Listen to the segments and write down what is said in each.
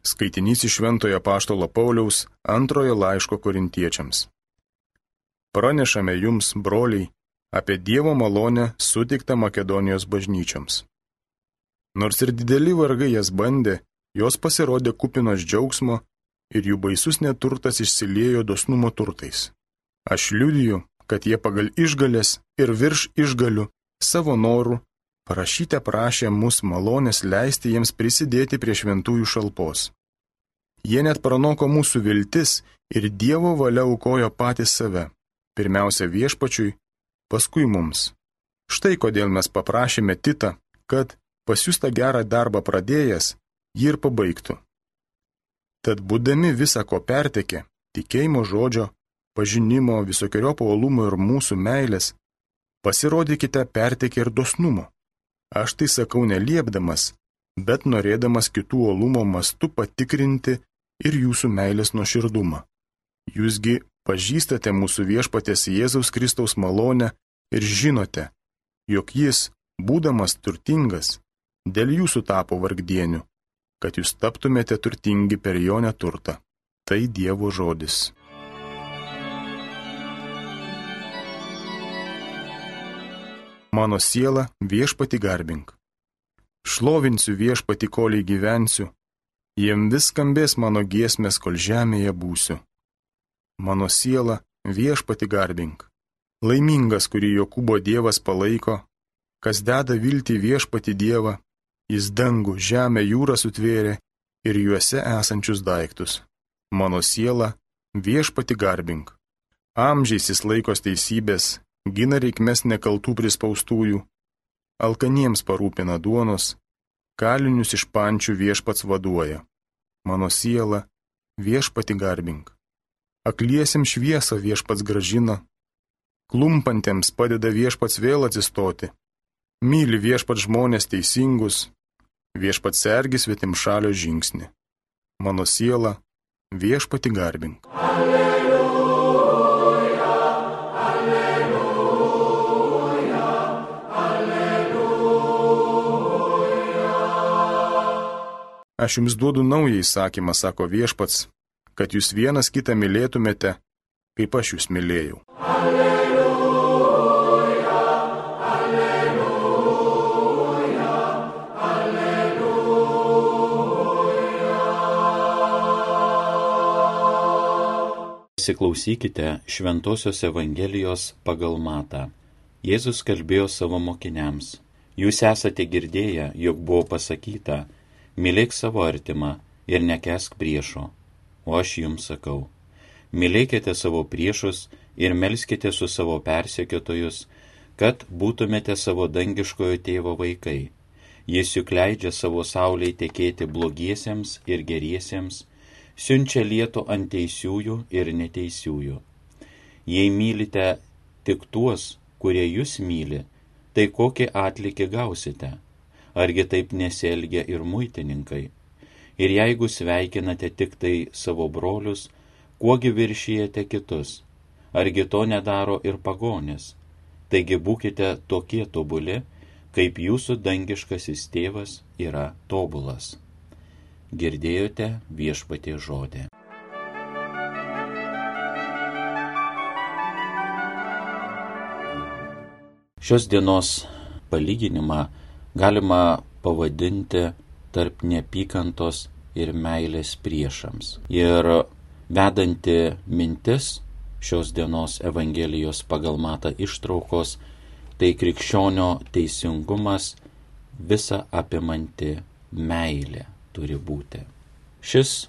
Skaitinys iš Šventojo Apaštalo Pauliaus antrojo laiško Korintiečiams. Pranešame jums, broliai, apie Dievo malonę suteiktą Makedonijos bažnyčioms. Nors ir dideli vargai jas bandė, jos pasirodė kupinos džiaugsmo ir jų baisus neturtas išsiliejo dosnumo turtais. Aš liudiju, kad jie pagal išgalės ir virš išgalių savo norų parašyte prašė mus malonės leisti jiems prisidėti prie šventųjų šalpos. Jie net pranoko mūsų viltis ir Dievo valia aukojo patys save, pirmiausia viešpačiui, paskui mums. Štai kodėl mes paprašėme Titą, kad pasiųstą gerą darbą pradėjęs, jį ir pabaigtų. Tad būdami visa ko pertekę, tikėjimo žodžio, pažinimo, visokiojopo uolumo ir mūsų meilės, pasirodykite pertekę ir dosnumo. Aš tai sakau neliepdamas, bet norėdamas kitų uolumo mastu patikrinti ir jūsų meilės nuoširdumą. Jūsgi pažįstate mūsų viešpaties Jėzaus Kristaus malonę ir žinote, jog jis, būdamas turtingas, dėl jūsų tapo vargdieniu, kad jūs taptumėte turtingi per jo neturtą. Tai Dievo žodis. Mano siela viešpatį garbink. Šlovinsiu viešpatį, kol gyvensiu, jiem vis skambės mano giesmės, kol žemėje būsiu. Mano siela viešpatį garbink. Laimingas, kurį Jokūbo Dievas palaiko, kas deda viltį viešpatį Dievą, jis dangų, žemę, jūrą sutvėrė ir juose esančius daiktus. Mano siela viešpatį garbink. Amžiais jis laikos teisybės, gina reikmes nekaltų prispaustųjų, alkaniems parūpina duonos, kalinius iš pančių viešpats vaduoja. Mano siela viešpatį garbink. Akliesiems šviesą viešpats gražina, klumpantiems padeda viešpats vėl atsistoti. Myli viešpats žmonės teisingus, viešpats sergi svetimšalio žingsnį. Mano siela viešpatį garbink. Aš jums duodu naują įsakymą, sako viešpats, kad jūs vienas kitą mylėtumėte, kaip aš jūs mylėjau. Alleluja, alleluja, alleluja. Įsiklausykite Šventosios Evangelijos pagal Matą. Jėzus kalbėjo savo mokiniams. Jūs esate girdėję, jog buvo pasakyta, mylėk savo artimą ir nekęsk priešo. O aš jums sakau, mylėkite savo priešus ir melskite su savo persekiotojus, kad būtumėte savo dangiškojo tėvo vaikai. Jis juk leidžia savo saulei tekėti blogiesiems ir geriesiems, siunčia lietų ant teisiųjų ir neteisiųjų. Jei mylite tik tuos, kurie jūs myli, tai kokį atlygį gausite? Argi taip nesielgia ir muitininkai? Ir jeigu sveikinate tik tai savo brolius, kuogi viršijate kitus? Argi to nedaro ir pagonis? Taigi būkite tokie tobuli, kaip jūsų dangiškasis tėvas yra tobulas. Girdėjote viešpaties žodį. Šios dienos palyginimą galima pavadinti tarp neapykantos ir meilės priešams. Ir vedanti mintis šios dienos Evangelijos pagal Matą ištraukos, tai krikščionio teisingumas, visa apimanti meilė turi būti. Šis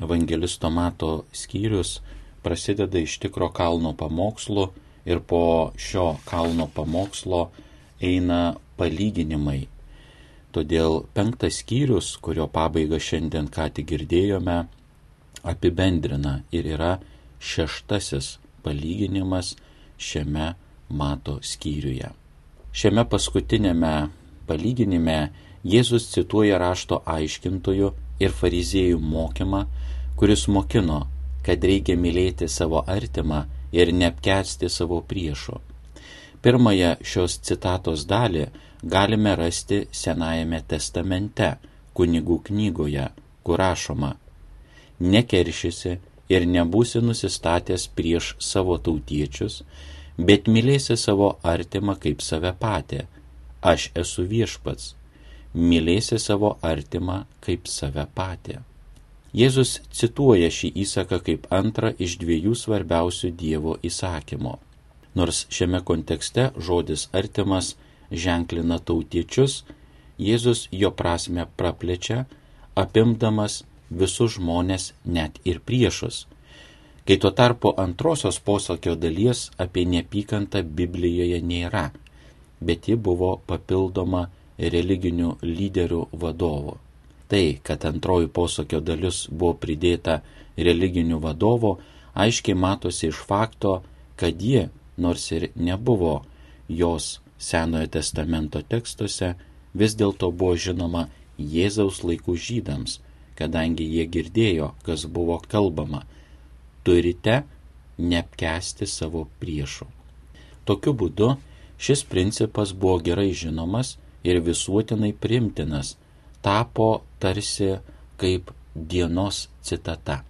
evangelisto Mato skyrius prasideda iš tikro kalno pamokslo ir po šio kalno pamokslo eina palyginimai. Todėl 5 skyrius, kurio pabaigą šiandien ką tik girdėjome, apibendrina ir yra 6 palyginimas šiame Mato skyriuje. Šiame paskutinėme palyginime Jėzus cituoja rašto aiškintojų ir fariziejų mokymą, kuris mokino, kad reikia mylėti savo artimą ir neapkęsti savo priešo. Pirmąją šios citatos dalį galime rasti Senajame testamente, kunigų knygoje, kur rašoma: nekeršysi ir nebūsi nusistatęs prieš savo tautiečius, bet mylėsi savo artimą kaip save patį. Aš esu viešpats. Mylėsi savo artimą kaip save patį. Jėzus cituoja šį įsaką kaip antrą iš 2 svarbiausių Dievo įsakymų. Nors šiame kontekste žodis artimas ženklina tautiečius, Jėzus jo prasmę praplečia, apimdamas visus žmonės, net ir priešus. Kai tuo tarpu antrosios posakio dalies apie neapykantą Biblijoje nėra, bet ji buvo papildoma religinių lyderių vadovų. Tai, kad antroji posakio dalis buvo pridėta religinių vadovų, aiškiai matosi iš fakto, kad ji, nors ir nebuvo jos Senojo testamento tekstuose, vis dėlto buvo žinoma Jėzaus laikų žydams, kadangi jie girdėjo, kas buvo kalbama: turite neapkęsti savo priešų. Tokiu būdu šis principas buvo gerai žinomas ir visuotinai priimtinas, tapo tarsi kaip dienos citata.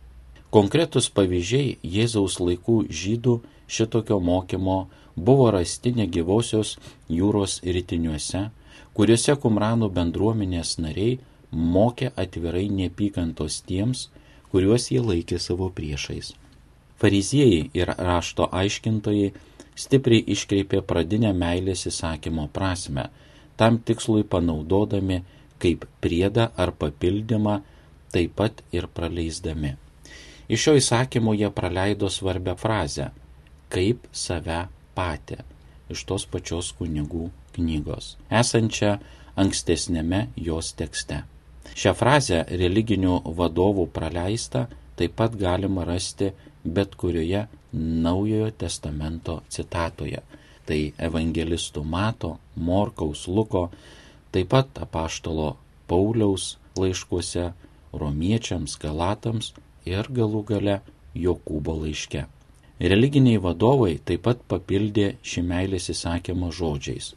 Konkretus pavyzdžiai Jėzaus laikų žydų šitokio mokymo buvo rasti negyvosios jūros rytiniuose, kuriuose Kumranų bendruomenės nariai mokė atvirai neapykantos tiems, kuriuos jie laikė savo priešais. Fariziejai ir rašto aiškintojai stipriai iškreipė pradinę meilės įsakymo prasmę, tam tikslui panaudodami kaip priedą ar papildymą, taip pat ir praleisdami. Iš šio įsakymo jie praleido svarbią frazę: kaip save patį, iš tos pačios kunigų knygos, esančią ankstesnėme jos tekste. Šią frazę religinių vadovų praleistą taip pat galima rasti bet kurioje Naujojo testamento citatoje. Tai evangelistų Mato, Morkaus, Luko, taip pat apaštalo Pauliaus laiškuose, romiečiams, galatams ir galų gale Jokūbo laiške. Religiniai vadovai taip pat papildė šį meilės įsakymą žodžiais: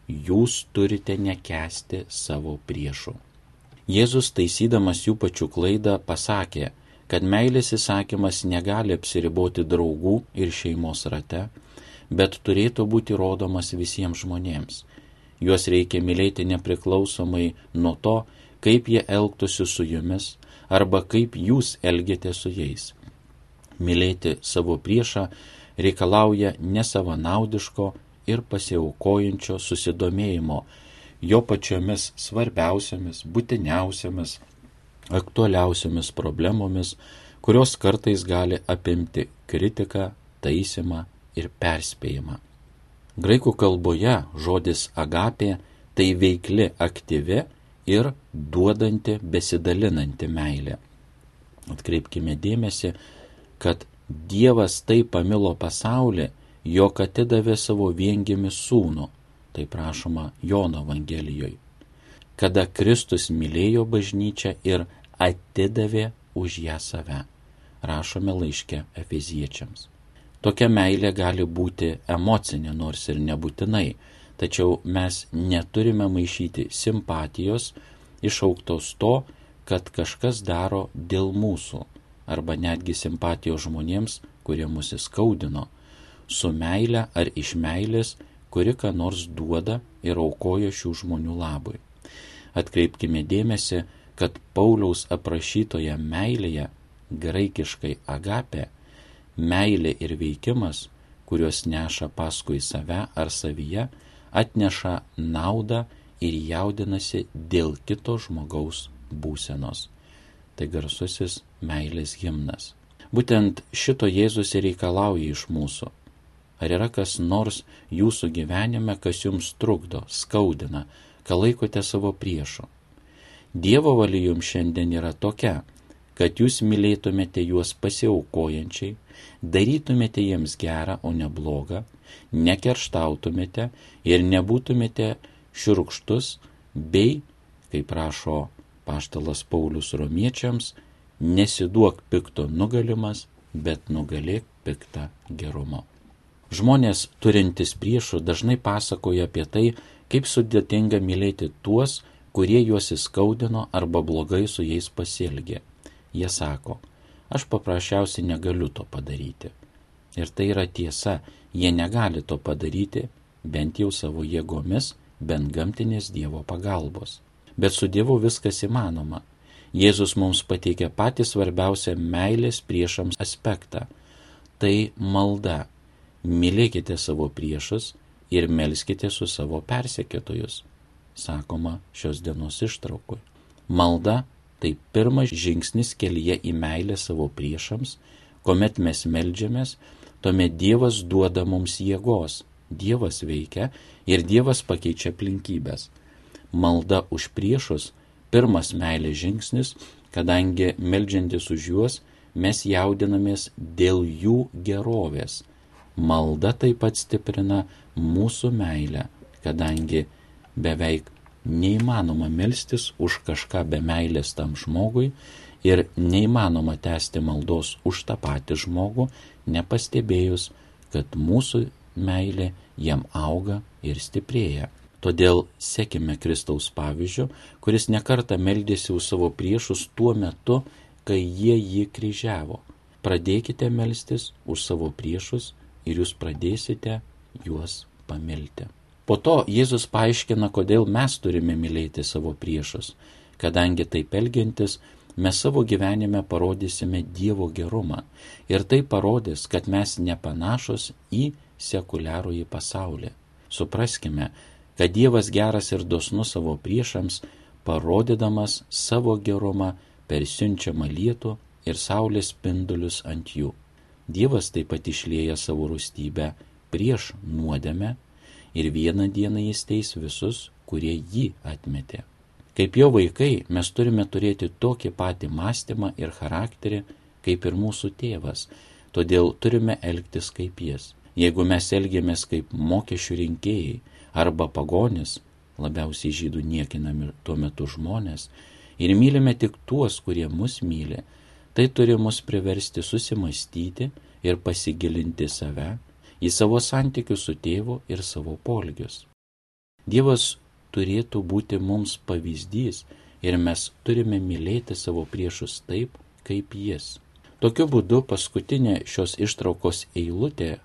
jūs turite nekęsti savo priešų. Jėzus, taisydamas jų pačių klaidą, pasakė, kad meilės įsakymas negali apsiriboti draugų ir šeimos rate, bet turėtų būti rodomas visiems žmonėms. Juos reikia mylėti nepriklausomai nuo to, kaip jie elgtųsi su jumis arba kaip jūs elgiate su jais. Mylėti savo priešą reikalauja nesavanaudiško ir pasiaukojančio susidomėjimo jo pačiomis svarbiausiamis, būtiniausiamis, aktualiausiamis problemomis, kurios kartais gali apimti kritiką, taisymą ir perspėjimą. Graikų kalboje žodis agapė tai veikli, aktyvi ir duodanti, besidalinanti meilė. Atkreipkime dėmesį, kad Dievas taip pamilo pasaulį, jog atidavė savo viengimį sūnų, tai prašoma Jono Evangelijoje, kada Kristus mylėjo bažnyčią ir atidavė už ją save, rašome laiške Efeziečiams. Tokia meilė gali būti emocinė, nors ir nebūtinai, tačiau mes neturime maišyti simpatijos, išauktos to, kad kažkas daro dėl mūsų, arba netgi simpatijos žmonėms, kurie mus įskaudino, su meile ar iš meilės, kuri ką nors duoda ir aukoja šių žmonių labui. Atkreipkime dėmesį, kad Pauliaus aprašytoje meilėje, graikiškai agapė, meilė ir veikimas, kuriuos neša paskui save ar savyje, atneša naudą ir jaudinasi dėl kito žmogaus būsenos. Tai garsusis meilės himnas. Būtent šito Jėzus ir reikalauja iš mūsų. Ar yra kas nors jūsų gyvenime, kas jums trukdo, skaudina, ką laikote savo priešu? Dievo valia jums šiandien yra tokia, kad jūs mylėtumėte juos pasiaukojančiai, darytumėte jiems gerą, o ne blogą, nekerštautumėte ir nebūtumėte šiurkštus, bei, kaip rašo apaštalas Paulius romiečiams, nesiduok pikto nugalimas, bet nugalėk piktą gerumo. Žmonės turintys priešų dažnai pasakoja apie tai, kaip sudėtinga mylėti tuos, kurie juos įskaudino arba blogai su jais pasielgė. Jie sako, aš paprasčiausiai negaliu to padaryti. Ir tai yra tiesa, jie negali to padaryti, bent jau savo jėgomis, bent gamtinės Dievo pagalbos. Bet su Dievu viskas įmanoma. Jėzus mums pateikė patį svarbiausią meilės priešams aspektą. Tai malda. Mylėkite savo priešus ir melskite su savo persekiotojus, sakoma šios dienos ištraukui. Malda tai pirmas žingsnis kelyje į meilę savo priešams, kuomet mes meldžiamės, tuomet Dievas duoda mums jėgos. Dievas veikia ir Dievas pakeičia aplinkybės. Malda už priešus pirmas meilės žingsnis, kadangi meldžiantis už juos mes jaudinamės dėl jų gerovės. Malda taip pat stiprina mūsų meilę, kadangi beveik neįmanoma melstis už kažką be meilės tam žmogui ir neįmanoma tęsti maldos už tą patį žmogų, nepastebėjus, kad mūsų meilė jam auga ir stiprėja. Todėl sekime Kristaus pavyzdžiu, kuris nekartą meldėsi už savo priešus tuo metu, kai jie jį kryžiavo. Pradėkite melstis už savo priešus ir jūs pradėsite juos pamilti. Po to Jėzus paaiškina, kodėl mes turime mylėti savo priešus, kadangi taip elgiantis mes savo gyvenime parodysime Dievo gerumą ir tai parodys, kad mes nepanašus į sekuliarųjį pasaulį. Supraskime, kad Dievas geras ir dosnus savo priešams, parodydamas savo gerumą per siunčiamą lietų ir saulės spindulius ant jų. Dievas taip pat išlieja savo rūstybę prieš nuodėmę ir vieną dieną jis teis visus, kurie jį atmetė. Kaip jo vaikai mes turime turėti tokį patį mąstymą ir charakterį, kaip ir mūsų tėvas, todėl turime elgtis kaip jis. Jeigu mes elgiamės kaip mokesčių rinkėjai arba pagonis, labiausiai žydų niekinami tuo metu žmonės, ir mylime tik tuos, kurie mus myli, tai turi mus priversti susimastyti ir pasigilinti save, į savo santykius su tėvu ir savo poelgius. Dievas turėtų būti mums pavyzdys ir mes turime mylėti savo priešus taip, kaip jis. Tokiu būdu paskutinė šios ištraukos eilutė,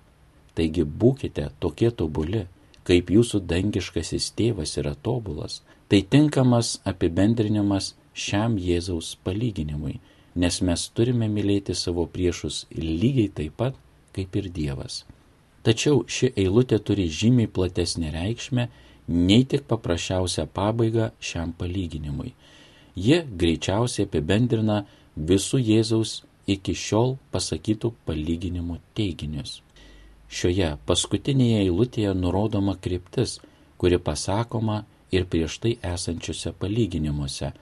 taigi būkite tokie tobuli, kaip jūsų dangiškasis tėvas yra tobulas, tai tinkamas apibendrinimas šiam Jėzaus palyginimui, nes mes turime mylėti savo priešus lygiai taip pat, kaip ir Dievas. Tačiau ši eilutė turi žymiai platesnę reikšmę, nei tik paprasčiausią pabaigą šiam palyginimui. Ji greičiausiai apibendrina visų Jėzaus iki šiol pasakytų palyginimų teiginius. Šioje paskutinėje eilutėje nurodoma kryptis, kuri pasakoma ir prieš tai esančiuose palyginimuose.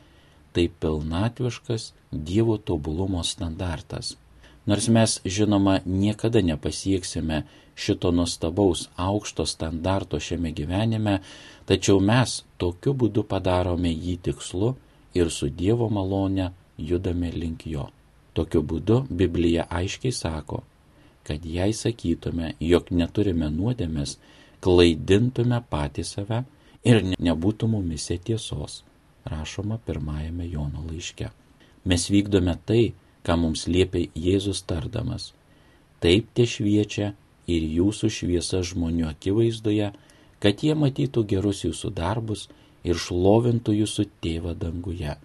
Tai pilnatviškas Dievo tobulumo standartas. Nors mes, žinoma, niekada nepasieksime šito nuostabaus aukšto standarto šiame gyvenime, tačiau mes tokiu būdu padarome jį tikslu ir su Dievo malone judame link jo. Tokiu būdu Biblija aiškiai sako, kad jei sakytume, jog neturime nuodėmės, klaidintume patį save ir nebūtų mumise tiesos, rašoma 1 Jono laiške. Mes vykdome tai, ką mums liepia Jėzus tardamas. Taip te šviečia ir jūsų šviesa žmonių akivaizdoje, kad jie matytų gerus jūsų darbus ir šlovintų jūsų tėvą danguje.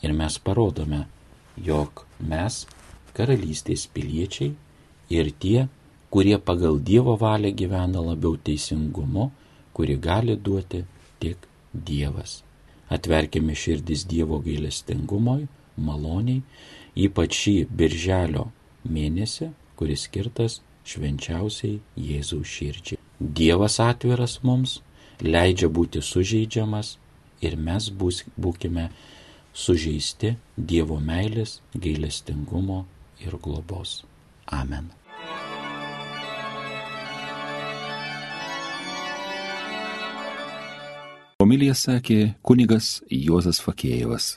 Ir mes parodome, jog mes karalystės piliečiai ir tie, kurie pagal Dievo valią gyvena labiau teisingumu, kuri gali duoti tik Dievas. Atverkime širdis Dievo gailestingumui, maloniai, ypač šį birželio mėnesį, kuris skirtas švenčiausiai Jėzaus širdžiai. Dievas atviras mums, leidžia būti sužeidžiamas ir mes būkime sužeisti Dievo meilės, gailestingumo ir globos. Amen. Homiliją sakė kunigas Juozas Fakėjevas.